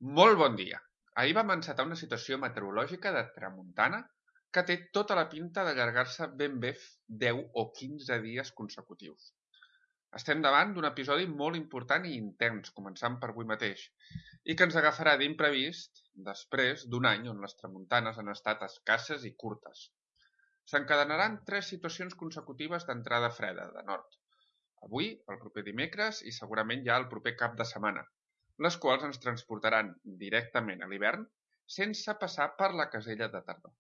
Molt bon dia. Ahir vam encetar una situació meteorològica de tramuntana que té tota la pinta d'allargar-se ben bé 10 o 15 dies consecutius. Estem davant d'un episodi molt important i intens, començant per avui mateix, i que ens agafarà d'imprevist després d'un any on les tramuntanes han estat escasses i curtes. S'encadenaran 3 situacions consecutives d'entrada freda, de nord. Avui, el proper dimecres i segurament ja el proper cap de setmana, les quals ens transportaran directament a l'hivern sense passar per la casella de tardor.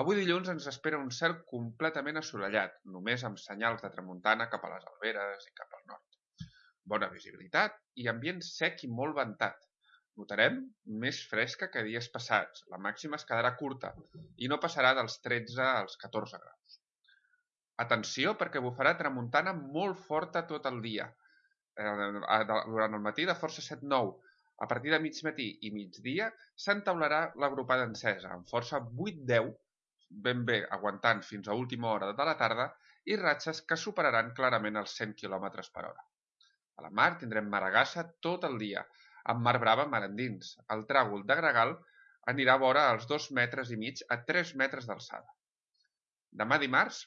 Avui dilluns ens espera un cel completament assolellat, només amb senyals de tramuntana cap a les Alberes i cap al nord. Bona visibilitat i ambient sec i molt ventat. Notarem més fresca que dies passats, la màxima es quedarà curta i no passarà dels 13 als 14 graus. Atenció perquè bufarà tramuntana molt forta tot el dia, durant el matí de força 7-9. A partir de migmatí i migdia s'entaularà l'agrupada encesa, amb força 8-10, ben bé aguantant fins a última hora de la tarda, i ratxes que superaran clarament els 100 km per hora. A la mar tindrem maragassa tot el dia, amb mar brava mar endins. El tràgol de gregal anirà vora als 2,5 metres a 3 metres d'alçada. Demà dimarts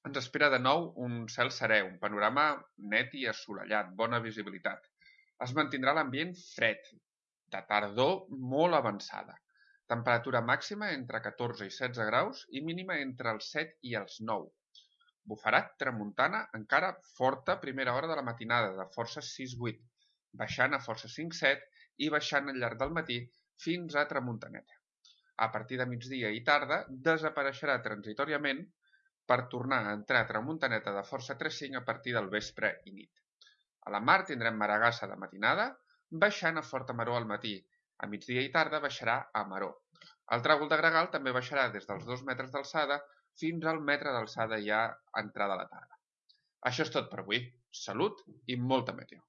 ens espera de nou un cel serè, un panorama net i assolellat, bona visibilitat. Es mantindrà l'ambient fred, de tardor molt avançada. Temperatura màxima entre 14 i 16 graus i mínima entre els 7 i els 9. Bufarà tramuntana encara forta a primera hora de la matinada, de força 6-8, baixant a força 5-7 i baixant al llarg del matí fins a tramuntaneta. A partir de migdia i tarda desapareixerà transitòriament per tornar a entrar a tramuntaneta de força 3-5 a partir del vespre i nit. A la mar tindrem maragassa de matinada, baixant a forta maror al matí. A migdia i tarda baixarà a maror. El tràgol de gregal també baixarà des dels 2 metres d'alçada fins al metre d'alçada ja a entrada a la tarda. Això és tot per avui. Salut i molta meteo.